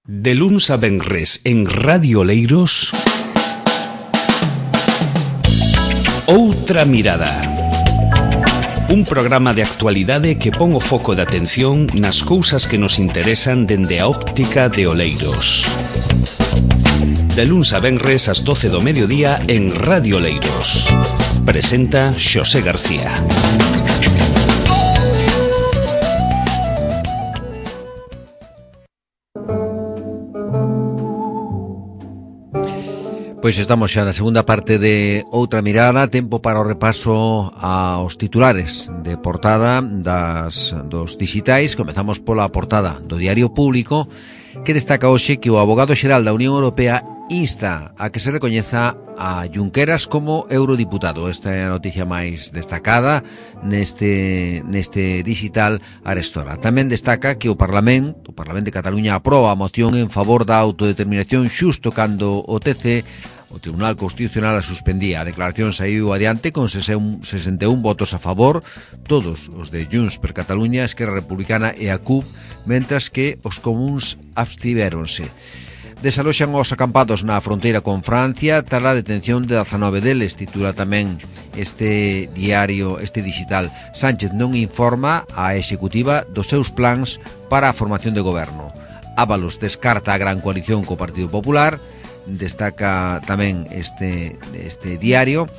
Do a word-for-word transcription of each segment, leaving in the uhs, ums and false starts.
De luns a venres en Radio Oleiros, Outra Mirada. Un programa de actualidade que pon o foco de atención nas cousas que nos interesan dende a óptica de Oleiros. De luns a venres ás doce do mediodía en Radio Oleiros. Presenta Xosé García. Pois estamos xa na segunda parte de Outra Mirada, tempo para o repaso aos titulares de portada das dos dixitais. Comezamos pola portada do Diario Público, que destaca hoxe que o abogado xeral da Unión Europea insta a que se recoñeza a Junqueras como eurodiputado. Esta é a noticia máis destacada neste neste digital Arestora. Tamén destaca que o Parlamento, o Parlamento de Cataluña aproba a moción en favor da autodeterminación xusto cando o T C, o Tribunal Constitucional, a suspendía. A declaración saiu adiante con sesenta e un votos a favor, todos os de Junts per Cataluña, Esquerra Republicana e a C U P, mentras que os comuns abstivéronse. Desaloxan os acampados na fronteira con Francia tras a detención de dezanove deles, titula tamén este diario, este digital. Sánchez non informa a executiva dos seus plans para a formación de goberno. Ábalos descarta a gran coalición co Partido Popular. Destaca tamén este, este diario,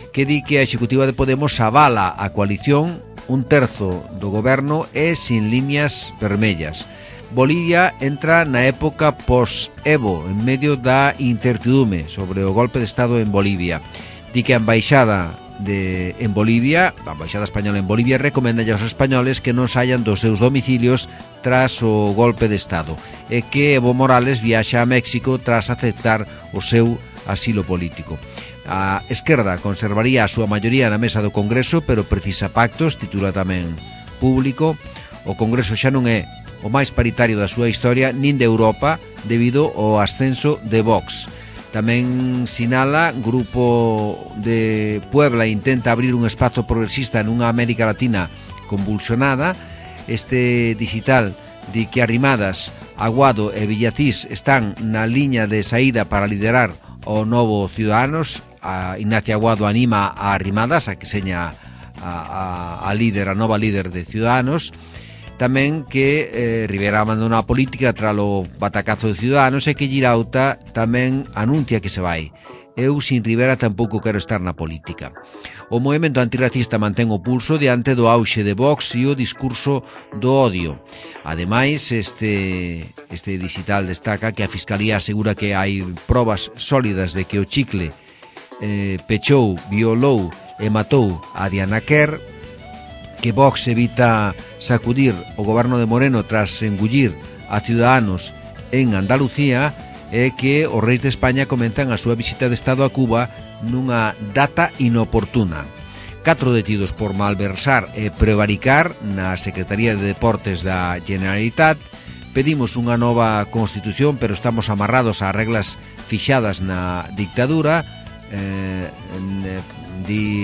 que di que a executiva de Podemos avala a coalición, un terzo do goberno e sin líneas vermellas. Bolivia entra na época post-Evo, en medio da incertidume sobre o golpe de Estado en Bolivia. Di que a embaixada de, en Bolivia, a embaixada española en Bolivia, recomenda aos españoles que non saian dos seus domicilios tras o golpe de Estado e que Evo Morales viaxa a México tras aceptar o seu asilo político. A esquerda conservaría a súa maioría na mesa do Congreso, pero precisa pactos, titula tamén Público. O Congreso xa non é o máis paritario da súa historia, nin de Europa, debido ao ascenso de Vox. Tamén sinala, Grupo de Puebla intenta abrir un espazo progresista nunha América Latina convulsionada. Este digital di que Arrimadas, Aguado e Villacís están na liña de saída para liderar o novo Ciudadanos. A Ignacia Aguado anima a Arrimadas a que seña a, a, a líder, a nova líder de Ciudadanos. Tamén que eh, Rivera abandona a política tras o batacazo de Ciudadanos e que Girauta tamén anuncia que se vai. Eu sin Rivera tampouco quero estar na política. O movemento antirracista mantén o pulso diante do auxe de Vox e o discurso do odio. Ademais, este, este digital destaca que a Fiscalía asegura que hai probas sólidas de que o chicle eh, pechou, violou e matou a Diana Kerr, que Vox evita sacudir o goberno de Moreno tras engullir a Ciudadanos en Andalucía e que os reis de España comentan a súa visita de Estado a Cuba nunha data inoportuna. Catro detidos por malversar e prevaricar na Secretaría de Deportes da Generalitat. Pedimos unha nova Constitución, pero estamos amarrados a reglas fixadas na dictadura. Eh, di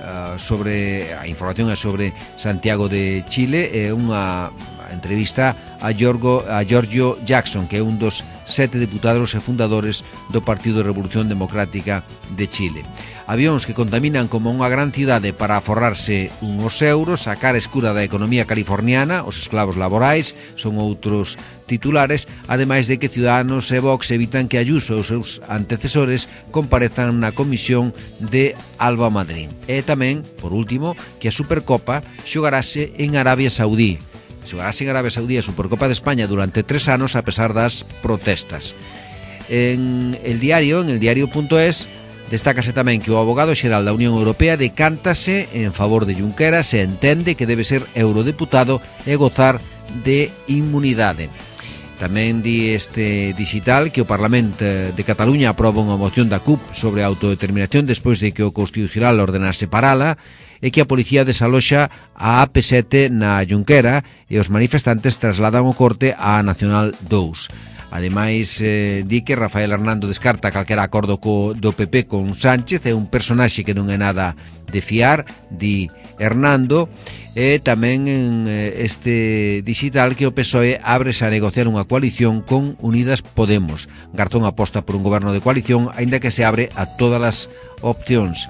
uh, sobre a información é sobre Santiago de Chile e unha entrevista a Giorgio, a Giorgio Jackson, que é un dos sete deputados e fundadores do Partido de Revolución Democrática de Chile. Avións que contaminan como unha gran cidade para aforrarse uns euros, a cara escura da economía californiana, os esclavos laborais, son outros titulares, ademais de que Ciudadanos e Vox evitan que Ayuso e os seus antecesores comparezan na comisión de Alba Madrid. E tamén, por último, que a Supercopa xogarase en Arabia Saudí. Xogarase en Arabia Saudí a Supercopa de España durante tres anos a pesar das protestas. En el diario, en el diario.es, destácase tamén que o abogado xeral da Unión Europea decántase en favor de Junqueras e entende que debe ser eurodeputado e gozar de inmunidade. Tamén di este digital que o Parlamento de Cataluña aproba unha moción da C U P sobre a autodeterminación despois de que o Constitucional ordenase parala e que a policía desaloxa a A P sete na Junquera e os manifestantes trasladan o corte á Nacional dous. Ademais, eh, di que Rafael Hernando descarta calquera acordo co, do P P con Sánchez, é un personaxe que non é nada de fiar, di Hernando. E tamén en este digital que o P S O E ábrese a negociar unha coalición con Unidas Podemos. Garzón aposta por un goberno de coalición, aínda que se abre a todas as opcións.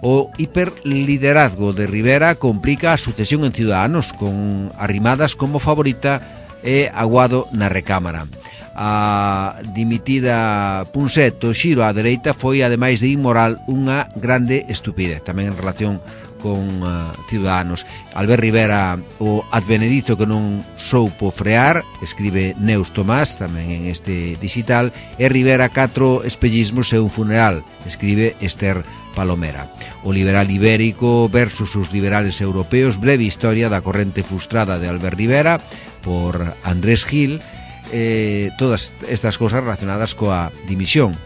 O hiperliderazgo de Rivera complica a sucesión en Ciudadanos, con Arrimadas como favorita e Aguado na recámara. A dimitida Punset, o xiro á dereita, foi, ademais de inmoral, unha grande estupidez. Tamén en relación con uh, Ciudadanos. Albert Rivera, o advenedizo que non soupo frear, escribe Neus Tomás, tamén en este digital, e Rivera catro espellismos e un funeral, escribe Esther Palomera. O liberal ibérico versus os liberales europeos, breve historia da corrente frustrada de Albert Rivera, por Andrés Gil, eh, todas estas cosas relacionadas coa dimisión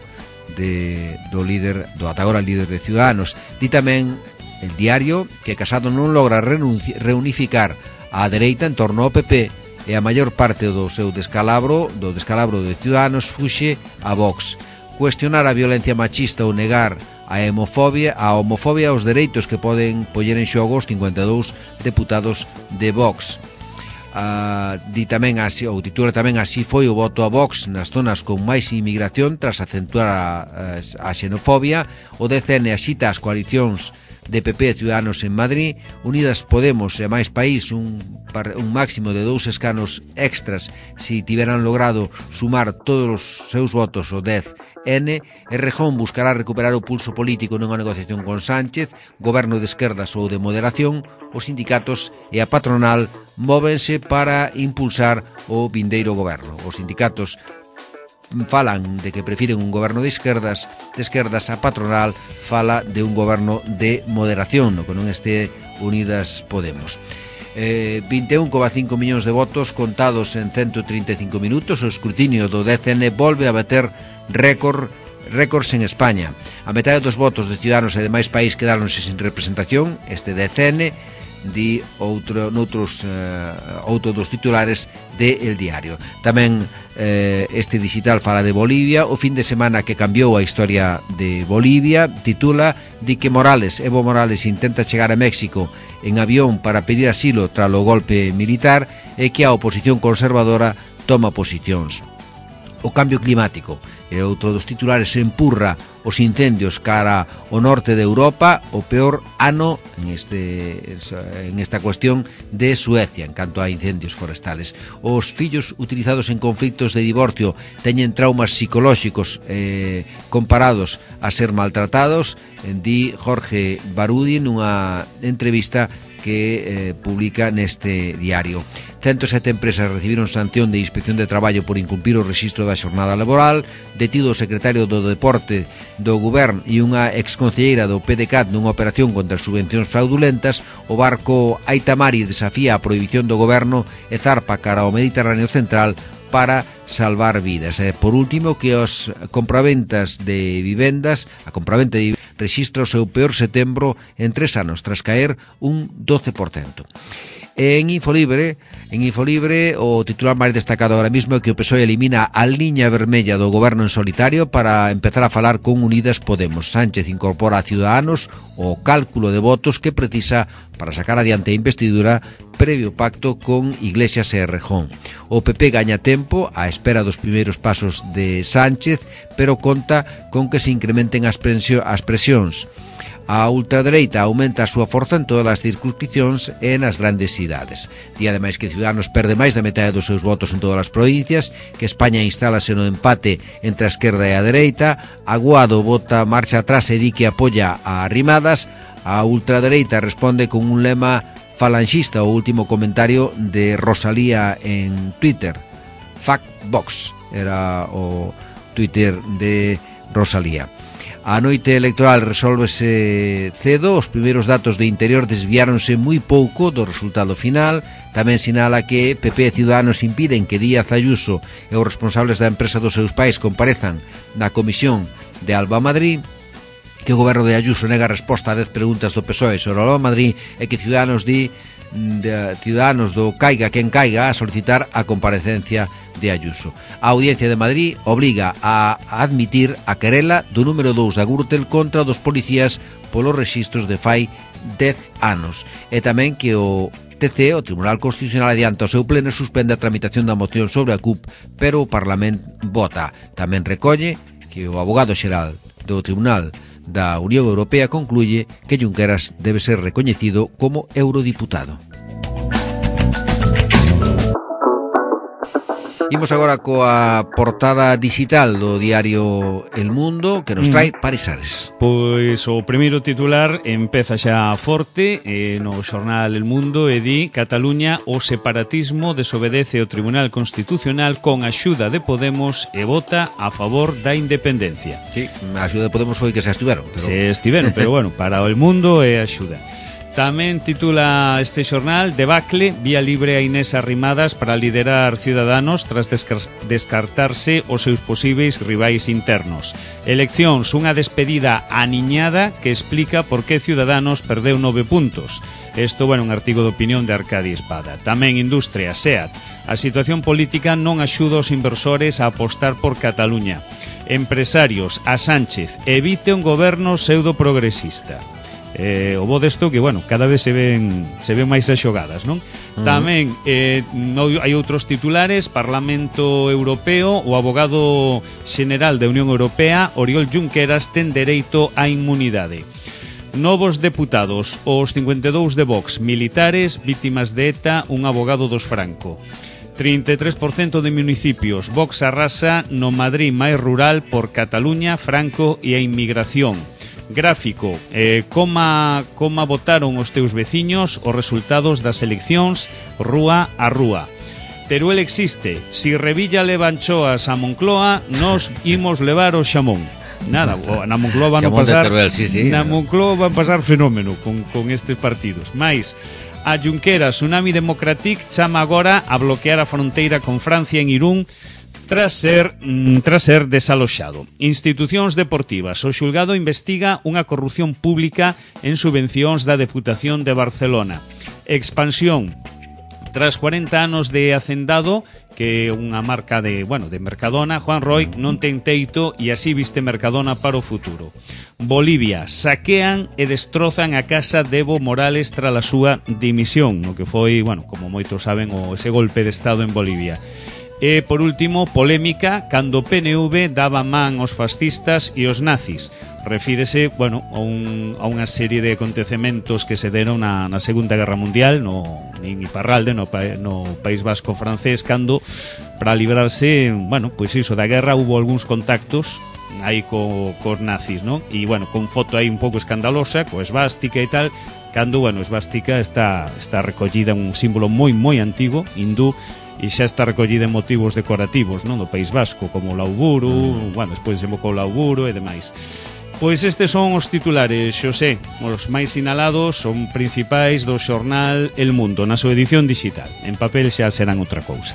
de, do líder, do ata agora líder de Ciudadanos. Di tamén El Diario que Casado non logra reunificar a dereita en torno ao P P e a maior parte do seu descalabro, do descalabro de Ciudadanos, fuxe a Vox. Cuestionar a violencia machista ou negar a homofobia, a homofobia aos dereitos que poden poñer en xogo os cincuenta e dous deputados de Vox. Uh, di tamén así, ou titula tamén así foi o voto a Vox nas zonas con máis inmigración tras acentuar a, a, a xenofobia. O D C N axita as coalicións de P P e Ciudadanos en Madrid. Unidas Podemos e máis país un, un máximo de dous escanos extras si tiveran logrado sumar todos os seus votos o dez N. Errejón buscará recuperar o pulso político nunha negociación con Sánchez. Goberno de esquerdas ou de moderación. Os sindicatos e a patronal móvense para impulsar o vindeiro goberno. Os sindicatos falan de que prefiren un goberno de esquerdas, de esquerdas a patronal fala de un goberno de moderación, no que non este Unidas Podemos. Eh, vinte e un coma cinco millóns de votos contados en ciento trinta e cinco minutos. O escrutinio do D C N volve a bater récord récords en España. A metade dos votos de Ciudadanos e demais país quedáronse sin representación. Este D C N di outro, noutros uh, outro dos titulares de El Diario. Tamén eh, este digital fala de Bolivia. O fin de semana que cambiou a historia de Bolivia, titula, di que Morales, Evo Morales intenta chegar a México en avión para pedir asilo tras o golpe militar e que a oposición conservadora toma posicións. O cambio climático e outro dos titulares empurra os incendios cara ao norte de Europa, o peor ano en, este, en esta cuestión de Suecia en canto a incendios forestales. Os fillos utilizados en conflictos de divorcio teñen traumas psicolóxicos eh, comparados a ser maltratados, di Jorge Barudi nunha entrevista que eh, publica neste diario. ciento sete empresas recibiron sanción de Inspección de Traballo por incumprir o rexistro da xornada laboral. Detido o secretario do Deporte do Goberno e unha exconcelleira do P D C A T nunha operación contra as subvencións fraudulentas. O barco Aitamari desafía a prohibición do Goberno e zarpa cara ao Mediterráneo Central para salvar vidas. E, por último, que os compraventas de vivendas, a compraventa de vivendas rexistra o seu peor setembro en tres anos, tras caer un doce por cento. En Infolibre, en Infolibre o titular máis destacado ahora mismo é que o P S O E elimina a liña vermella do goberno en solitario para empezar a falar con Unidas Podemos. Sánchez incorpora a Ciudadanos o cálculo de votos que precisa para sacar adiante a investidura previo pacto con Iglesias e Errejón. O P P gaña tempo á espera dos primeiros pasos de Sánchez, pero conta con que se incrementen as presións. A ultradereita aumenta a súa forza en todas as circunscripcións e nas grandes cidades. Di ademais que Ciudadanos perde máis da metade dos seus votos en todas as provincias, que España instálase no empate entre a esquerda e a dereita. Aguado vota marcha atrás e di que apoia a Arrimadas. A ultradereita responde con un lema falanxista, o último comentario de Rosalía en Twitter. Fuck Vox era o Twitter de Rosalía. A noite electoral resolvese cedo, os primeiros datos de interior desviáronse moi pouco do resultado final. Tamén sinala que P P e Ciudadanos impiden que Díaz Ayuso e os responsables da empresa dos seus pais comparezan na comisión de Alba Madrid, que o goberno de Ayuso nega resposta a dez preguntas do P S O E sobre Alba Madrid e que Ciudadanos di de Ciudadanos do caiga quen caiga a solicitar a comparecencia de Ayuso. A Audiencia de Madrid obriga a admitir a querela do número dous da Gürtel contra dos policías polos rexistros de fai dez anos. E tamén que o T C, o Tribunal Constitucional, adianta o seu pleno e suspende a tramitación da moción sobre a C U P, pero o Parlamento vota. Tamén recolle que o abogado xeral do Tribunal da Unión Europea concluye que Junqueras debe ser recoñecido como eurodiputado. Imos agora coa portada digital do diario El Mundo, que nos trae Parisares. Pois o primeiro titular empeza xa forte eh, no xornal El Mundo e di: Cataluña, o separatismo desobedece o Tribunal Constitucional con axuda de Podemos e vota a favor da independencia. Sí, a axuda de Podemos foi que se estiveron. Pero... Se estiveron, pero bueno, para o El Mundo é axuda. Tamén titula este xornal: Debacle, vía libre a Inés Arrimadas para liderar Ciudadanos tras descartarse os seus posíveis rivais internos. Eleccións, unha despedida aniñada que explica por que Ciudadanos perdeu nove puntos. Isto, bueno, un artigo de opinión de Arcadi Espada. Tamén Industria, SEAT. A situación política non axuda aos inversores a apostar por Cataluña. Empresarios, a Sánchez, evite un goberno pseudo-progresista. Eh, o bo desto que, bueno, cada vez se ven se ven máis as xogadas, non? Uh-huh. Tamén eh, no, hai outros titulares: Parlamento Europeo, o abogado xeneral da Unión Europea, Oriol Junqueras, ten dereito á inmunidade. Novos deputados, os cincuenta e dous de Vox, militares, vítimas de ETA, un abogado dos Franco. trinta e tres por cento de municipios, Vox arrasa no Madrid máis rural por Cataluña, Franco e a inmigración. Gráfico, eh, coma, coma votaron os teus veciños os resultados das eleccións rúa a rúa. Teruel existe, si Revilla leva anchoas a Moncloa, nos imos levar o xamón. Nada, na Moncloa van a pasar Teruel, sí, sí. Na Moncloa van pasar fenómeno con, con estes partidos. Mais a Junqueras, Tsunami Democratic chama agora a bloquear a fronteira con Francia en Irún tras ser, tras ser desaloxado. Institucións deportivas. O xulgado investiga unha corrupción pública en subvencións da Deputación de Barcelona. Expansión. Tras cuarenta anos de Hacendado, que é unha marca de, bueno, de Mercadona, Juan Roig non ten teito e así viste Mercadona para o futuro. Bolivia. Saquean e destrozan a casa de Evo Morales tras a súa dimisión, no que foi, bueno, como moitos saben, o ese golpe de Estado en Bolivia. E, por último, polémica cando o P N V daba man aos fascistas e aos nazis. Refírese, bueno, a, un, a unha serie de acontecementos que se deron na, na Segunda Guerra Mundial no, en Iparralde, no, no País Vasco francés, cando, para librarse, bueno, pois pues iso, da guerra, hubo algúns contactos aí co, cos nazis, non? E, bueno, con foto aí un pouco escandalosa, co esvástica e tal, cando, bueno, esvástica está, está recollida un símbolo moi, moi antigo, hindú, e xa está recollida en motivos decorativos, non, do País Vasco, como o lauburo, mm. bueno, despois desembocou o lauburo e demais. Pois estes son os titulares, Xosé, os máis sinalados, son principais do xornal El Mundo, na súa edición digital. En papel xa serán outra cousa.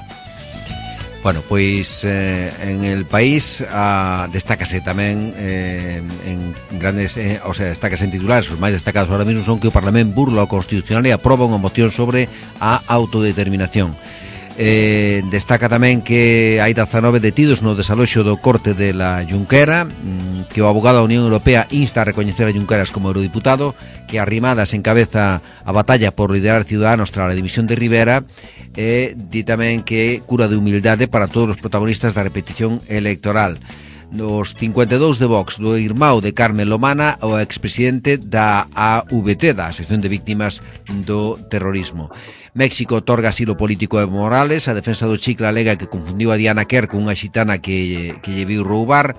Bueno, pois eh, en el país ah, destácase tamén eh, en grandes, eh, o sea, destácase en titulares. Os máis destacados ahora mesmo son que o Parlamento burla o Constitucional e aproba unha moción sobre a autodeterminación. Eh, destaca tamén que hai dezanove detidos no desaloxo do corte de la Junquera, que o abogado da Unión Europea insta a recoñecer a Junqueras como eurodiputado, que Arrimadas encabeza a batalla por liderar Ciudadanos tras a dimisión de Rivera, e di tamén que cura de humildade para todos os protagonistas da repetición electoral. Os cincuenta e dous de Vox, do irmão de Carmen Lomana, o expresidente da A V T, da Asociación de Víctimas do Terrorismo. México otorga asilo político a Evo Morales. A defensa do Chicle alega que confundiu a Diana Kerr con unha xitana que, que lle viu roubar.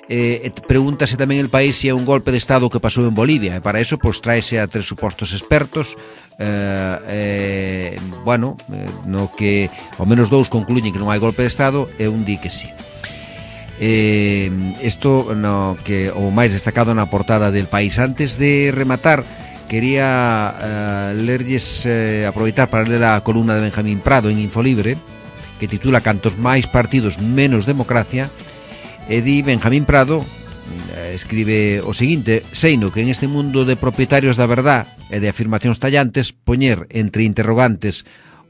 Eh, pregúntase tamén el país se é un golpe de Estado que pasou en Bolivia, e para eso pois traese a tres supostos expertos, eh, eh, bueno, eh, no que ao menos dous concluyen que non hai golpe de Estado e un di que sí. Eh, isto no que o máis destacado na portada del país. Antes de rematar, quería uh, lerlles, uh, aproveitar para ler a columna de Benjamín Prado en Infolibre, que titula Cantos máis partidos, menos democracia, e di Benjamín Prado, uh, escribe o seguinte: seino que en este mundo de propietarios da verdad e de afirmacións tallantes, poñer entre interrogantes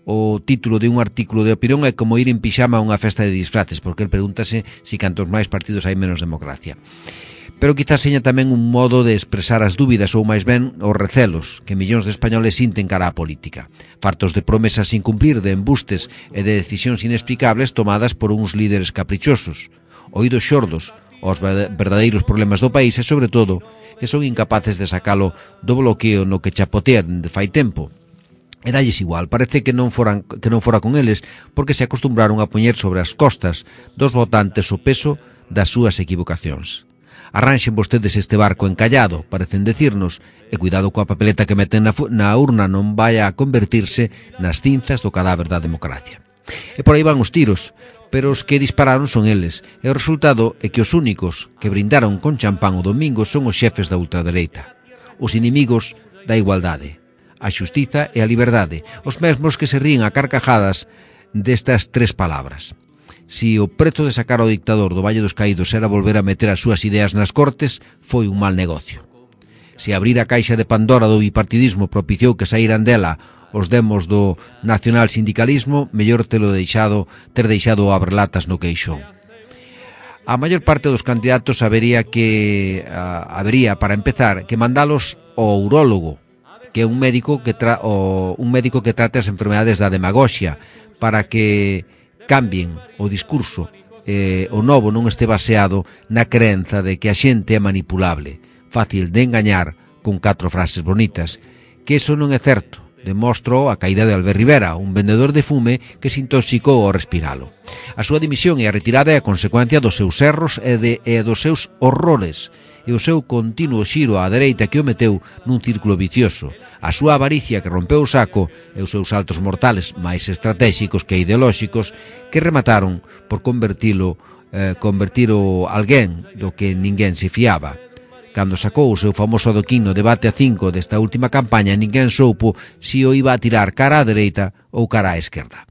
o título de un artículo de opinión é como ir en pixama a unha festa de disfraces, porque el pregúntase si cantos máis partidos hai menos democracia. Pero quizás seña tamén un modo de expresar as dúbidas ou máis ben os recelos que millóns de españoles sinten cara á política, fartos de promesas sin cumplir, de embustes e de decisións inexplicables tomadas por uns líderes caprichosos, oídos xordos aos verdadeiros problemas do país e, sobre todo, que son incapaces de sacalo do bloqueo no que chapotean de fai tempo. E dalles igual, parece que non foran, que non fora con eles, porque se acostumbraron a poñer sobre as costas dos votantes o peso das súas equivocacións. Arranxen vostedes este barco encallado, parecen decirnos, e cuidado coa papeleta que meten na, na urna non vai a convertirse nas cinzas do cadáver da democracia. E por aí van os tiros, pero os que dispararon son eles, e o resultado é que os únicos que brindaron con champán o domingo son os xefes da ultradereita, os inimigos da igualdade, a xustiza e a liberdade, os mesmos que se ríen a carcajadas destas tres palabras. Si o prezo de sacar ao dictador do Valle dos Caídos era volver a meter as súas ideas nas cortes, foi un mal negocio. Si abrir a caixa de Pandora do bipartidismo propiciou que saíran dela os demos do nacional sindicalismo, mellor telo deixado, ter deixado o abrelatas no queixón. A maior parte dos candidatos habería que uh, habería, para empezar, que mandalos ao urólogo, que é un médico que tra o, un médico que trate as enfermedades da demagoxia, para que cambien o discurso, eh, o novo non este baseado na creenza de que a xente é manipulable, fácil de engañar con catro frases bonitas, que eso non é certo. Demostrou a caída de Albert Rivera, un vendedor de fume que se intoxicou ao respiralo. A súa dimisión e a retirada é a consecuencia dos seus erros e, de, e dos seus horrores, e o seu continuo xiro á dereita que o meteu nun círculo vicioso, a súa avaricia que rompeu o saco e os seus saltos mortales máis estratégicos que ideolóxicos que remataron por convertilo, eh, convertir o alguén do que ninguén se fiaba. Cando sacou o seu famoso adoquín no debate a cinco desta última campaña, ninguén soupo si o iba a tirar cara á dereita ou cara á esquerda.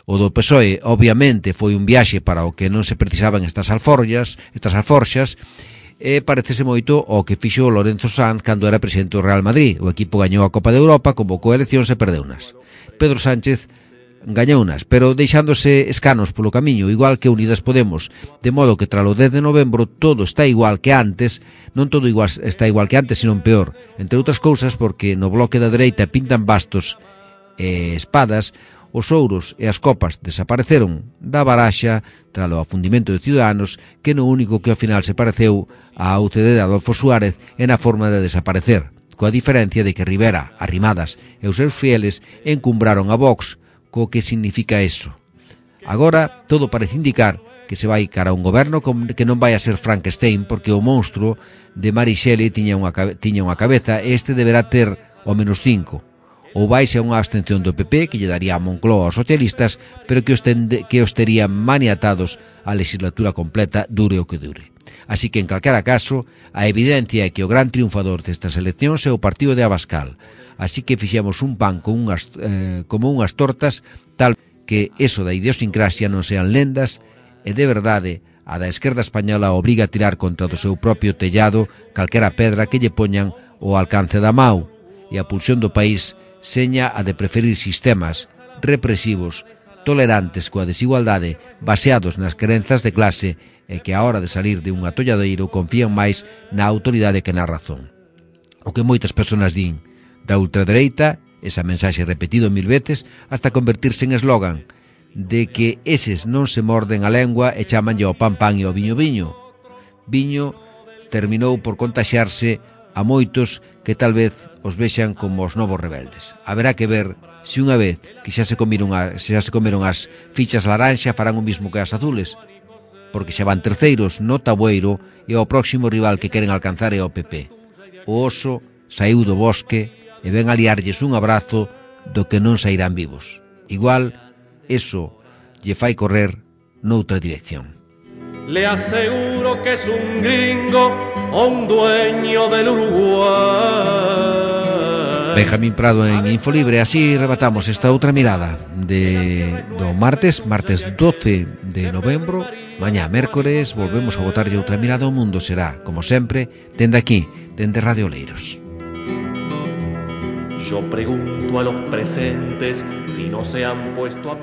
O do P S O E, obviamente, foi un viaxe para o que non se precisaban estas alforjas, estas alforxas, e parecese moito ao que fixo Lorenzo Sanz cando era presidente do Real Madrid. O equipo gañou a Copa de Europa, convocou eleccións e perdeunas. Pedro Sánchez gañounas, pero deixándose escanos polo camiño, igual que Unidas Podemos, de modo que tralo dez de novembro todo está igual que antes, non todo igual, está igual que antes, sino peor, entre outras cousas porque no bloque da dereita pintan bastos e espadas, os ouros e as copas desapareceron da baraxa tralo afundimento de Ciudadanos, que no único que ao final se pareceu á U C D de Adolfo Suárez é na forma de desaparecer, coa diferencia de que Rivera, Arrimadas e os seus fieles encumbraron a Vox, co que significa eso. Agora, todo parece indicar que se vai cara a un goberno que non vai a ser Frankenstein, porque o monstruo de Mary Shelley tiña unha, tiña unha cabeza e este deberá ter o menos cinco. Ou vaise a unha abstención do P P, que lle daría a Moncloa aos socialistas, pero que os, tende, que os terían maniatados a legislatura completa, dure o que dure. Así que, en calquera caso, a evidencia é que o gran triunfador destas eleccións é o partido de Abascal. Así que fixemos un pan con unhas, eh, como unhas tortas, tal que eso da idiosincrasia non sean lendas, e de verdade a da esquerda española obriga a tirar contra do seu propio tellado calquera pedra que lle poñan ao alcance da mau, e a pulsión do país seña a de preferir sistemas represivos, tolerantes coa desigualdade, baseados nas crenzas de clase, e que a hora de salir de un atolladeiro confían máis na autoridade que na razón. O que moitas persoas din da ultradereita, esa mensaxe repetido mil veces, hasta convertirse en eslogan, de que eses non se morden a lengua e chamanlle ao pan pan e ao viño viño. Viño terminou por contaxiarse a moitos que tal vez os vexan como os novos rebeldes. Haberá que ver se unha vez que xa se comeron, a, xa se comeron as fichas laranxa farán o mismo que as azules, porque xa van terceiros no tabueiro e o próximo rival que queren alcanzar é o P P. O oso saiu do bosque e ven a liarlles un abrazo do que non sairán vivos. Igual, eso lle fai correr noutra dirección. Le aseguro que es un gringo o un dueño del Uruguay. Benjamín Prado en Infolibre. Así rematamos esta outra mirada de do martes, martes doce de novembro. Mañá, mércores, volvemos a botarlle outra mirada ao mundo. Será, como sempre, dende aquí, dende Radio Oleiros. Yo pregunto a los presentes si no se han puesto a pensar.